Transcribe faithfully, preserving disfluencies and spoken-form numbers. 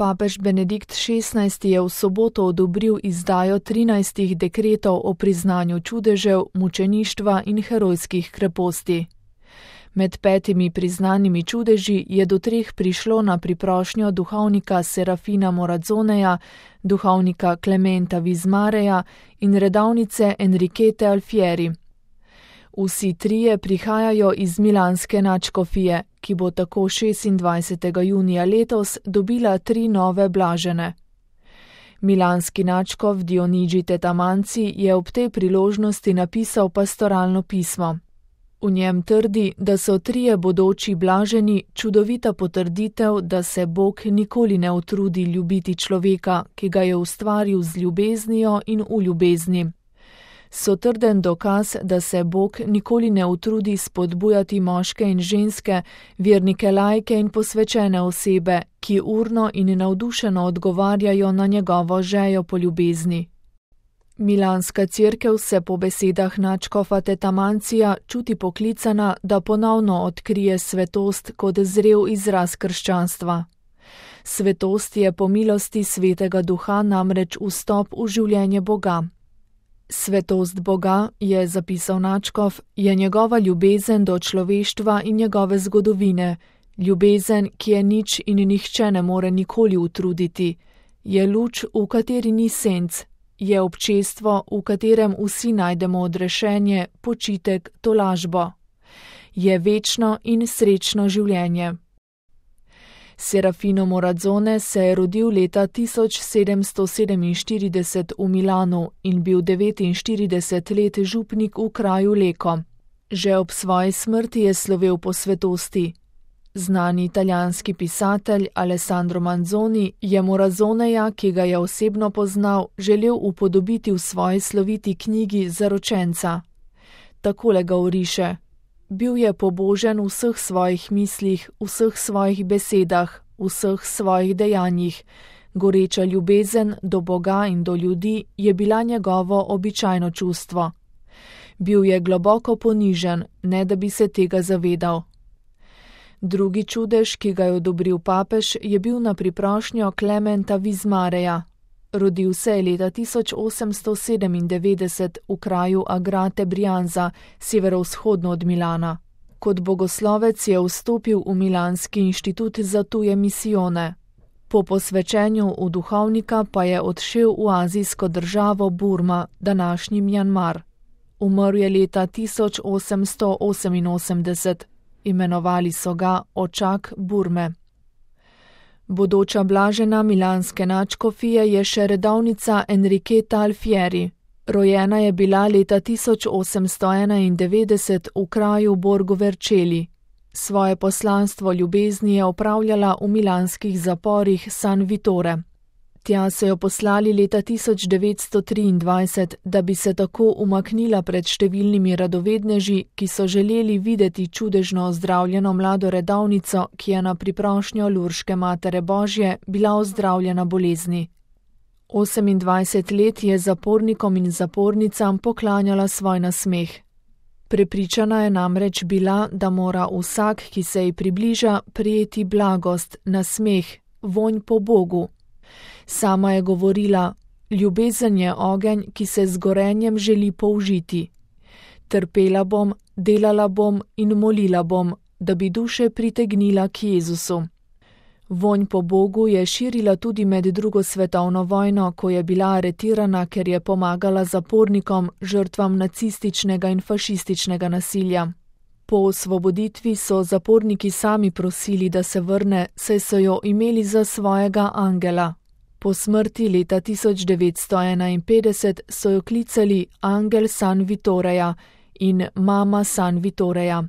Papež Benedikt šestnajsti je v soboto odobril izdajo trinajstih dekretov o priznanju čudežev, mučeništva in herojskih kreposti. Med petimi priznanimi čudeži je do treh prišlo na priprošnjo duhovnika Serafina Morazzoneja, duhovnika Clementa Vizmareja in redovnice Enriquete Alfieri. Vsi trije prihajajo iz milanske nadškofije, ki bo tako šestindvajsetega junija letos dobila tri nove blažene. Milanski nadškof Dionigi Tetamanci je ob tej priložnosti napisal pastoralno pismo. V njem trdi, da so trije bodoči blaženi čudovita potrditev, da se Bog nikoli ne utrudi ljubiti človeka, ki ga je ustvaril z ljubeznijo in v ljubezni. So trden dokaz, da se Bog nikoli ne utrudi spodbujati moške in ženske, vernike laike in posvečene osebe, ki urno in navdušeno odgovarjajo na njegovo žejo po ljubezni. Milanska cerkev se po besedah nadškofa Tetamancija čuti poklicana, da ponovno odkrije svetost kot zrel izraz krščanstva. Svetost je po milosti Svetega Duha namreč vstop v življenje Boga. Svetost Boga, je zapisal nadškof, je njegova ljubezen do človeštva in njegove zgodovine, ljubezen, ki je nič in nihče ne more nikoli utruditi, je luč, v kateri ni senc, je občestvo, v katerem vsi najdemo odrešenje, počitek, tolažbo. Je večno in srečno življenje. Serafino Morazzone se je rodil leta tisoč sedemsto sedeminštirideset v Milanu in bil devetinštirideset let župnik v kraju Leko. Že ob svoji smrti je slovel po svetosti. Znani italijanski pisatelj Alessandro Manzoni je Morazzoneja, ki ga je osebno poznal, želel upodobiti v svoji sloviti knjigi Zaročenca. Takole ga oriše: bil je pobožen v vseh svojih mislih, v vseh svojih besedah, v vseh svojih dejanjih. Goreča ljubezen do Boga in do ljudi je bila njegovo običajno čustvo. Bil je globoko ponižen, ne da bi se tega zavedal. Drugi čudež, ki ga je odobril papež, je bil na priprošnjo Clementa Vizmareja. Rodil se je leta tisoč osemsto sedemindevetdeset v kraju Agrate Brianza, severovzhodno od Milana. Kot bogoslovec je vstopil v Milanski inštitut za tuje misijone. Po posvečenju v duhovnika pa je odšel v azijsko državo Burma, današnji Mjanmar. Umrl je leta tisoč osemsto oseminosemdeset. Imenovali so ga očak Burme. Bodoča blažena milanske nadškofije je še redovnica Enriqueta Alfieri. Rojena je bila leta tisoč osemsto enaindevetdeset v kraju Borgo Vercelli. Svoje poslanstvo ljubezni je opravljala v milanskih zaporih San Vittore. Tja so jo poslali leta tisoč devetsto triindvajset, da bi se tako umaknila pred številnimi radovedneži, ki so želeli videti čudežno ozdravljeno mlado redovnico, ki je na priprošnjo Lurške Matere Božje bila ozdravljena bolezni. Osemindvajset let je zapornikom in zapornicam poklanjala svoj nasmeh. Prepričana je namreč bila, da mora vsak, ki se ji približa, prijeti blagost, nasmeh, vonj po Bogu. Sama je govorila: ljubezen je ogenj, ki se z gorenjem želi použiti. Trpela bom, delala bom in molila bom, da bi duše pritegnila k Jezusu. Vonj po Bogu je širila tudi med drugo svetovno vojno, ko je bila aretirana, ker je pomagala zapornikom, žrtvam nacističnega in fašističnega nasilja. Po osvoboditvi so zaporniki sami prosili, da se vrne, saj so jo imeli za svojega angela. Po smrti leta tisoč devetsto enainpetdeset so jo klicali Angel San Vittoreja in Mama San Vittoreja.